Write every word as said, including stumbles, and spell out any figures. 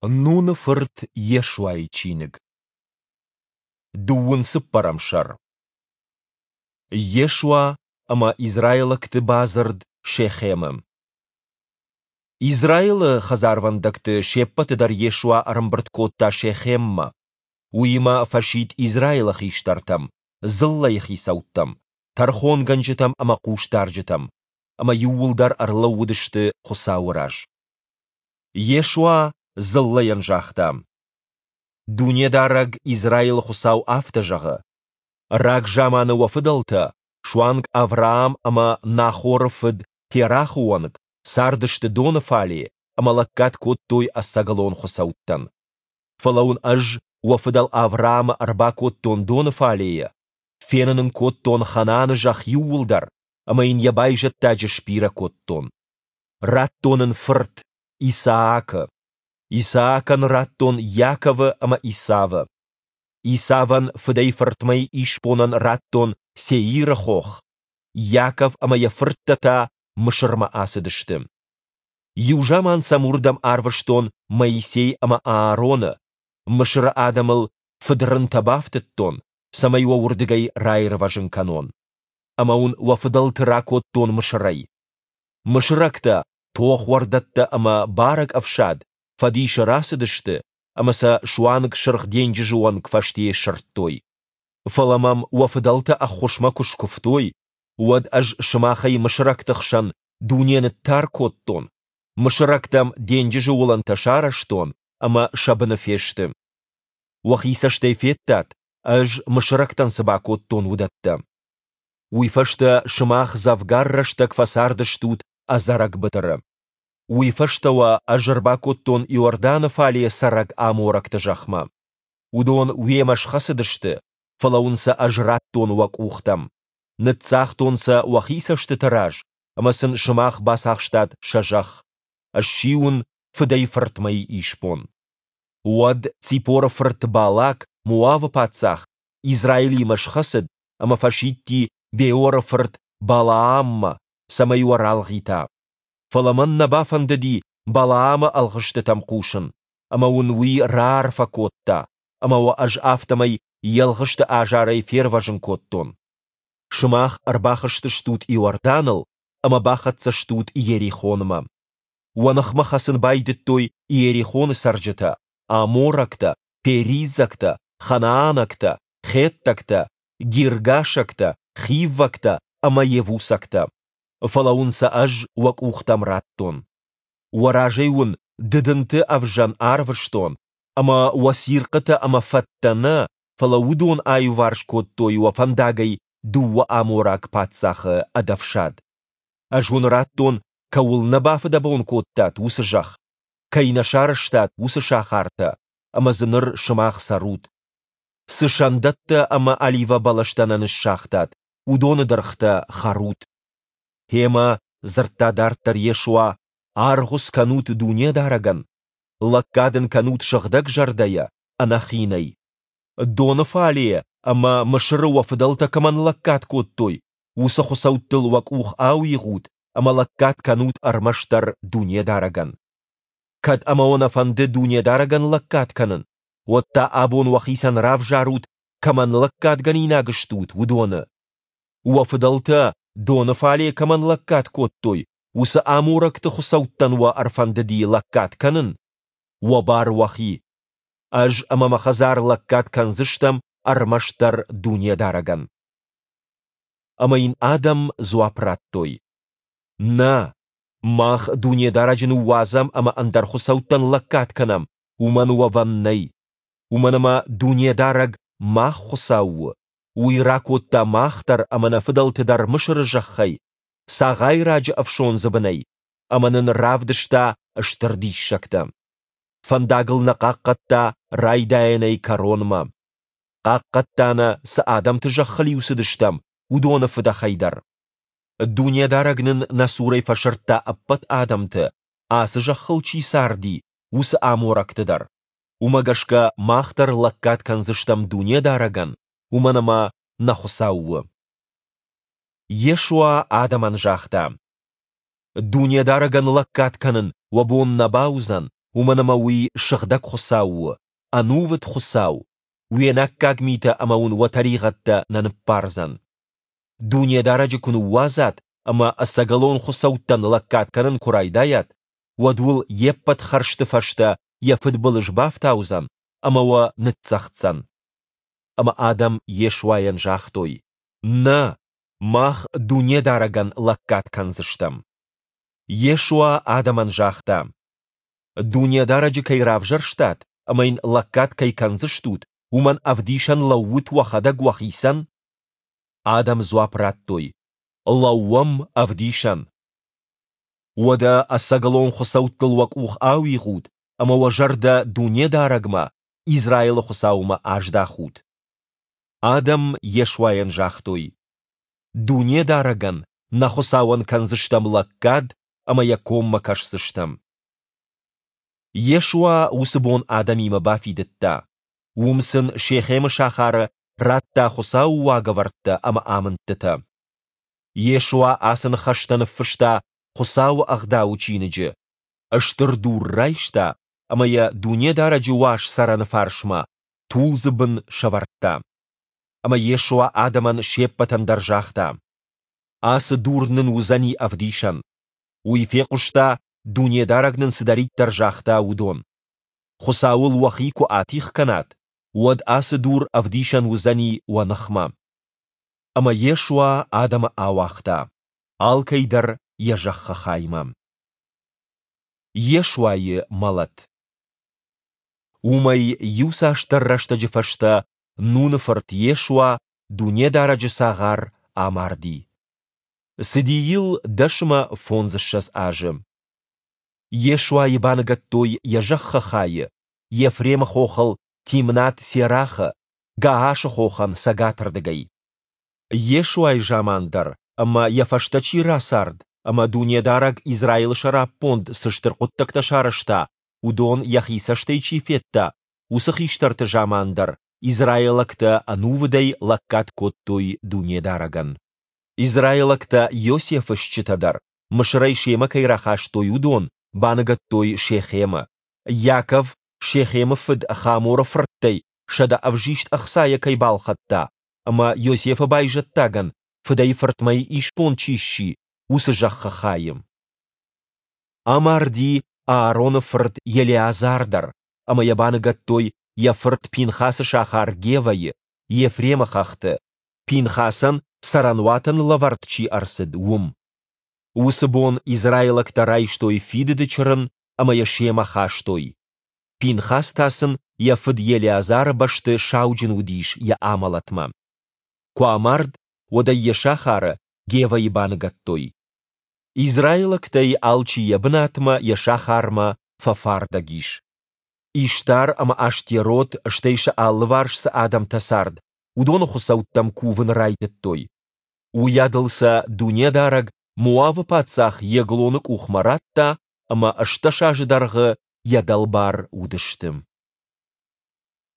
Нуны фырт Йешуайы чиныг. Дыууын цыппӕрӕм сӕр. Йешуа ӕмӕ израилӕгты бадзырд Шехемы. Израилы хӕдзарвӕндӕгты се ппӕты дӕр Йешуа ӕрӕмбырд кодта Шехеммӕ. Уыимӕ фӕсидт Израилы хистӕртӕм, дзыллӕйы хицӕуттӕм, тӕрхонгӕнджытӕм ӕмӕ хъусдарджытӕм, ӕмӕ иууылдӕр ӕрлӕууыдысты Хуыцауы раз. Йешуа дзыллӕйӕн загъта: Дунедарӕг, Израилы Хуыцау афтӕ зӕгъы: Рагзаманы уӕ фыдӕлтӕ, суанг Авраам ӕмӕ Нахоры фыд Терахы онг, цардысты доны фале ӕмӕ лӕггад кодтой ӕцӕгӕлон хуыцӕуттӕн. Фӕлӕ уын Ӕз уӕ фыдӕл Авраамы ӕрбакодтон доны фалейӕ, фенын ын кодтон Ханааны зӕхх иууылдӕр ӕмӕ йын йӕ байзӕддаджы сбирӕ кодтон. Радтон ын фырт, Исаакы. Исаакӕн радтон Иаковы ӕмӕ Исавы. Исавӕн фыдӕй-фыртмӕ исбонӕн радтон Сеиры хох, Иаков ӕмӕ йӕ фырттӕ та Мысырмӕ ацыдысты. Иу заман сӕм уырдӕм арвыстон Моисей ӕмӕ Аароны, Мысыры адӕмыл фыдрынтӕ бафтыдтон, цӕмӕй уӕ уырдыгӕй раирвӕзын кӕнон. Ӕмӕ уын уӕ фыдӕлты ракодтон Мысырӕй. Мысырӕгтӕ, тохуӕрдӕттӕ ӕмӕ барӕг ӕфсад фӕдисы рацыдысты ӕмӕ сӕ суанг Сырх денджызы онг фӕстейы сырдтой. Фӕлӕ мӕм уӕ фыдӕлтӕ ӕххуысмӕ куы скуывтой, уӕд ӕз сымахӕй мысырӕгты хсӕн дуне ныттар кодтон, мысырӕгтӕм денджызы уылӕнтӕ сарӕзтон ӕмӕ сӕ быны фесты. Уӕхи цӕстӕй федтат, ӕз мысырӕгтӕн цы бакодтон, уыдӕттӕ. Уый фӕстӕ сымах дзӕвгар рӕстӕг фӕцардыстут ӕдзӕрӕг быдыры. Уый фӕстӕ уӕ ӕз ӕрбакодтон Иорданы фале цӕрӕг аморӕгты зӕхмӕ. Уыдон уемӕ схӕцыдысты, фӕлӕ уын сӕ ӕз радтон уӕ къухтӕм. Ныццагътон сӕ уӕхи цӕстыты раз, ӕмӕ сын сымах бацахстат сӕ зӕхх. Сси уын фыдӕй-фыртмӕйы исбон. Уӕд Ципоры фырт Балак, Моавы паддзах, Израилимӕ схӕцыд ӕмӕ фӕсидти Беоры фырт Балааммӕ, цӕмӕй уӕ ралгъита. Фӕлӕ мӕн нӕ бафӕндыди Балаамы ӕлгъыстытӕм хъусын, ӕмӕ уын уый раарфӕ кодта, ӕмӕ уӕ ӕз афтӕмӕй йе лгъысты азарӕй фервӕзын кодтон. Сымах ӕрбахызтыстут Иорданыл ӕмӕ бахӕццӕ стут Иерихонмӕ. Уӕ ныхмӕ хӕцын байдыдтой Иерихоны цӕрджытӕ, аморӕгтӕ, периззӕгтӕ, ханаанӕгтӕ, хеттӕгтӕ, гиргашӕгтӕ, хиввӕгтӕ ӕмӕ йевусӕгтӕ. Фӕлӕ уын сӕ ӕз уӕ къухтӕм радтон. Уӕ разӕй уын дыдынты ӕвзӕн арвыстон, ӕмӕ уӕ цирхъытӕ ӕмӕ фӕттӕ нӕ, фӕлӕ уыдон аиуварс кодтой уӕ фӕндагӕй дыууӕ амораг паддзахы ӕд ӕфсад. Ӕз уын радтон, кӕуыл нӕ бафыдӕбон кодтат, уыцы зӕхх, кӕй нӕ сарӕзтат, уыцы сахартӕ, ӕмӕ дзы ныр сымах цӕрут. Цы сӕндӕттӕ ӕмӕ оливӕбӕлӕстӕ нӕ ныссагътат, уыдоны дыргътӕ хӕрут. Гъемӕ, дзырдта дарддӕр Йешуа, аргъуыц кӕнут Дунедарӕгӕн, лӕггад ын кӕнут сыгъдӕг зӕрдӕйӕ, ӕнӕхинӕй. Доны фале ӕмӕ Мысыры уӕ фыдӕлтӕ кӕмӕн лӕггад кодтой, уыцы хуыцӕуттыл уӕ къух ауигъут ӕмӕ лӕггад кӕнут ӕрмӕстдӕр Дунедарӕгӕн. Кӕд ӕмӕ уӕ нӕ фӕнды Дунедарӕгӕн лӕггад кӕнын, уӕд та абон уӕхицӕн равзарут, кӕмӕн лӕггадгӕнинаг стут, уыдоны. Уӕ фыдӕлтӕ доны фале кӕмӕн лӕггад кодтой, уыцы аморӕгты хуыцӕуттӕн уӕ ӕрфӕндыди лӕггад кӕнын? Уӕ бар уӕхи. Ӕз ӕмӕ мӕ хӕдзар лӕггад кӕндзыстӕм ӕрмӕстдӕр Дунедарӕгӕн. Ӕмӕ йын адӕм дзуапп радтой: Нӕ, мах Дунедарӕджы ныууадзӕм ӕмӕ ӕндӕр хуыцӕуттӕн лӕггад кӕнӕм, уымӕн уӕвӕн нӕй. Уымӕн ӕмӕ Дунедарӕг мах Хуыцау у, Уый ракодта мах дӕр ӕмӕ нӕ фыдӕлты дӕр Мысыры зӕххӕй, цагъайраджы ӕфсондзы бынӕй, ӕмӕ нын равдыста стыр диссӕгтӕ. Фӕндагыл нӕ хъахъхъӕдта райдайӕнӕй кӕронмӕ. Хъахъхъӕдта нӕ, цы адӕмты зӕххыл-иу цыдыстӕм, уыдоны фыдӕхӕй дӕр. Дунедарӕг нын нӕ цурӕй фӕсырдта ӕппӕт адӕмты, ацы зӕххыл чи царди, уыцы аморӕгты дӕр. Уымӕ гӕсгӕ мах дӕр лӕггад кӕндзыстӕм Дунедарӕгӕн, уымӕн ӕмӕ нӕ Хуыцау у. Йешуа адӕмӕн загъта: Дунедарӕгӕн лӕггад кӕнын уӕ бон нӕ бауыдзӕн, Уымӕн ӕмӕ уый сыгъдӕг Хуыцау у, ӕнувыд Хуыцау, уе наккаг митӕ ӕмӕ уын уӕ тӕригъӕдтӕ нӕ ныббардзӕн. Дунедарӕджы куы ныууадзат ӕмӕ ӕцӕгӕлон хуыцӕуттӕн лӕггад кӕнын куы райдайат, уӕд уыл йе ппӕт хӕрзты фӕстӕ йӕ фыдбылыз бафтаудзӕн ӕмӕ уӕ ныццӕгъддзӕн. Ӕмӕ адӕм Йешуайӕн загътой: Нӕ, мах Дунедарӕгӕн лӕггад кӕндзыстӕм. Йешуа адӕмӕн загъта: Дунедарӕджы кӕй равзӕрстат ӕмӕ Йын лӕггад кӕй кӕндзыстут, уымӕн ӕвдисӕн лӕуут уӕхӕдӕг уӕхицӕн. Адӕм дзуапп радтой: Лӕууӕм ӕвдисӕн. Уӕдӕ ӕцӕгӕлон хуыцӕуттыл уӕ къух ауигъут ӕмӕ уӕ зӕрдӕ Дунедарӕгмӕ, Израилы Хуыцаумӕ, аздахут. Адӕм Йешуайӕн загътой: Дунедарӕгӕн, нӕ Хуыцауӕн, кӕндзыстӕм лӕггад ӕмӕ Йӕ коммӕ кӕсдзыстӕм. Йешуа уыцы бон адӕмимӕ бафидыдта. Уым сын Шехемы сахары радта Хуыцауы уагӕвӕрдтӕ ӕмӕ амындтытӕ. Йешуа ацы ныхӕстӕ ныффыста Хуыцауы Ӕгъдауы чиныджы, стыр дур райста ӕмӕ йӕ Дунедарӕджы Уаз Цӕрӕны фарсмӕ, тулдзы бын, сӕвӕрдта. Ӕмӕ Йешуа адӕмӕн се ппӕтӕн дӕр загъта: Ацы дур нын уыдзӕни ӕвдисӕн. Уый фехъуыста, Дунедарӕг нын цыдӕриддӕр загъта, уыдон. Хуыцауыл уӕхи куы атигъ кӕнат, уӕд ацы дур ӕвдисӕн уыдзӕни уӕ ныхмӕ. Ӕмӕ Йешуа адӕмы ауагъта, алкӕй дӕр йӕ зӕххы хаймӕ. Йешуайы мӕлӕт. Уымӕй иуцасдӕр рӕстӕджы фӕстӕ Нуны фырт Йешуа, Дунедарӕджы цагъар, амарди. Цыди йыл дӕс ӕмӕ фондзыссӕдз азы. Йешуайы баныгӕдтой йӕ зӕххы хайы, Ефремы хохыл Тимнат-Серахы, Гаашы хохӕн цӕгатырдыгӕй. Йешуайы заман дӕр ӕмӕ йӕ фӕстӕ чи рацард ӕмӕ Дунедарӕг Израилы сӕраппонд цы стыр хъуыддӕгтӕ сарӕзта, уыдон йӕхи цӕстӕй чи федта, уыцы хистӕрты заман дӕр израилӕгтӕ ӕнувыдӕй лӕггад кодтой Дунедарӕгӕн. Израилӕгтӕ Йосефы стджытӕ дӕр, Мысырӕй семӕ кӕй рахастой, уыдон, баныгӕдтой Шехемы. Иаков Шехемы фыд Хаморы фырттӕй сӕдӕ ӕвзист ӕхцайӕ кӕй балхӕдта ӕмӕ Йосефы байзӕддагӕн фыдӕй-фыртмӕйы исбон чи сси, уыцы зӕххы хайы. Амарди Аароны фырт Елеазар дӕр, ӕмӕ йӕ баныгӕдтой йӕ фырт Пинхасы сахар Гевӕйы, Ефремы хӕхты, Пинхасӕн цӕрӕнуатӕн лӕвӕрд чи ӕрцыд, уым. Уыцы бон израилӕгтӕ райстой Фидыды Чырын ӕмӕ йӕ семӕ хастой. Пинхас та сын йӕ фыд Елеазары бӕсты сауджын уыдис йӕ амӕлӕтмӕ. Куы амард, уӕд ӕй йӕ сахары, Гевӕйы баныгӕдтой. Израилӕгтӕй алчи йӕ бынатмӕ, йӕ сахармӕ фӕфардӕг ис. Иштар ӕмӕ Аштерот, стӕй сӕ алыварс цы адӕмтӕ цард, уыдоны хуыцӕуттӕм кувын райдыдтой. Уыйадыл сӕ Дунедарӕг Моавы паддзах Еглоны къухмӕ радта, ӕмӕ ӕстдӕс азы дӕргъы йӕ дӕлбар уыдысты.